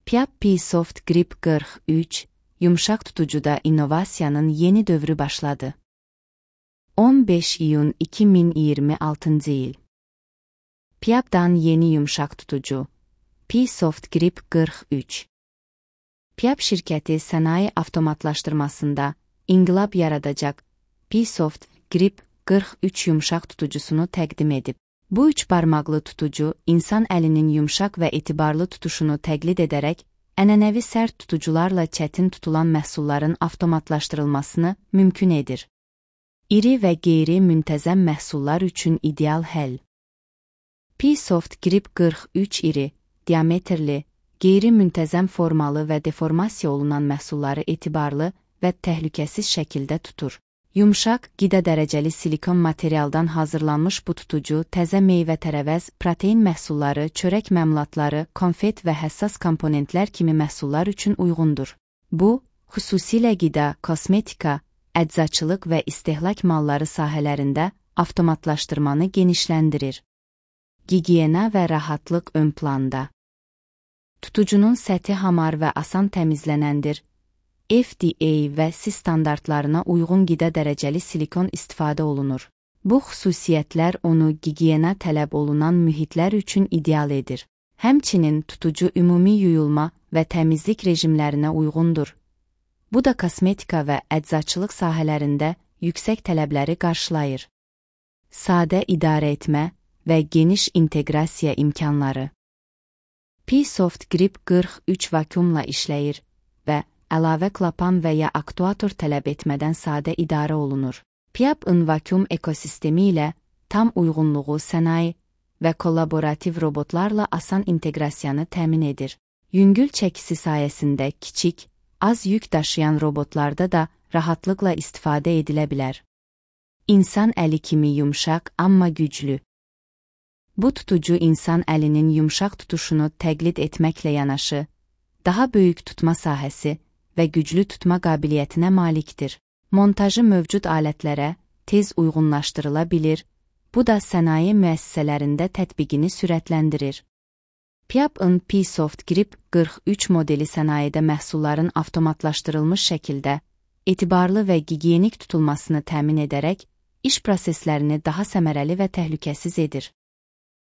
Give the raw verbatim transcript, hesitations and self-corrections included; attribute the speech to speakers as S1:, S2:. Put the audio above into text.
S1: Piap P-Soft Grip qırx üç, yumşaq tutucuda innovasiyanın yeni dövrü başladı. on beş iyun iki min iyirmi altıncı il. Piap'dan yeni yumşaq tutucu. P-Soft Grip qırx üç. Piap şirkəti sənaye avtomatlaşdırmasında inqilab yaradacaq P-Soft Grip qırx üç yumşaq tutucusunu təqdim edib. Bu üç barmaqlı tutucu, insan əlinin yumşaq və etibarlı tutuşunu təqlid edərək, ənənəvi sərt tutucularla çətin tutulan məhsulların avtomatlaşdırılmasını mümkün edir. İri və qeyri-müntəzəm məhsullar üçün ideal həll. P-Soft Grip qırx üç iri, diametrli, qeyri-müntəzəm formalı və deformasiya olunan məhsulları etibarlı və təhlükəsiz şəkildə tutur. Yumşaq, qida dərəcəli silikon materialdan hazırlanmış bu tutucu təzə meyvə-tərəvəz, protein məhsulları, çörək məmulatları, konfet və həssas komponentlər kimi məhsullar üçün uyğundur. Bu, xüsusilə qida, kosmetika, əczaçılıq və istehlak malları sahələrində avtomatlaşdırmanı genişləndirir. Gigiyena və rahatlıq ön planda. Tutucunun səthi hamar və asan təmizlənəndir. F D A və S I standartlarına uyğun qida dərəcəli silikon istifadə olunur. Bu xüsusiyyətlər onu gigiyena tələb olunan mühitlər üçün ideal edir. Həmçinin tutucu ümumi yuyulma və təmizlik rejimlərinə uyğundur. Bu da kosmetika və əczaçılıq sahələrində yüksək tələbləri qarşılayır. Sadə idarə etmə və geniş inteqrasiya imkanları. P-Soft Grip qırx üç vakumla işləyir və əlavə klapan və ya aktuator tələb etmədən sadə idarə olunur. Piap-ın vakum ekosistemi ilə tam uyğunluğu sənaye və kollaborativ robotlarla asan inteqrasiyanı təmin edir. Yüngül çəkisi sayəsində kiçik, az yük daşıyan robotlarda da rahatlıqla istifadə edilə bilər. İnsan əli kimi yumşaq, amma güclü. Bu tutucu insan əlinin yumşaq tutuşunu təqlid etməklə yanaşı, daha böyük tutma sahəsi və güclü tutma qabiliyyətinə malikdir. Montajı mövcud alətlərə tez uyğunlaşdırıla bilir, bu da sənaye müəssisələrində tətbiqini sürətləndirir. Piap-ın P-Soft Grip qırx üç modeli sənayedə məhsulların avtomatlaşdırılmış şəkildə, etibarlı və gigiyenik tutulmasını təmin edərək, iş proseslərini daha səmərəli və təhlükəsiz edir.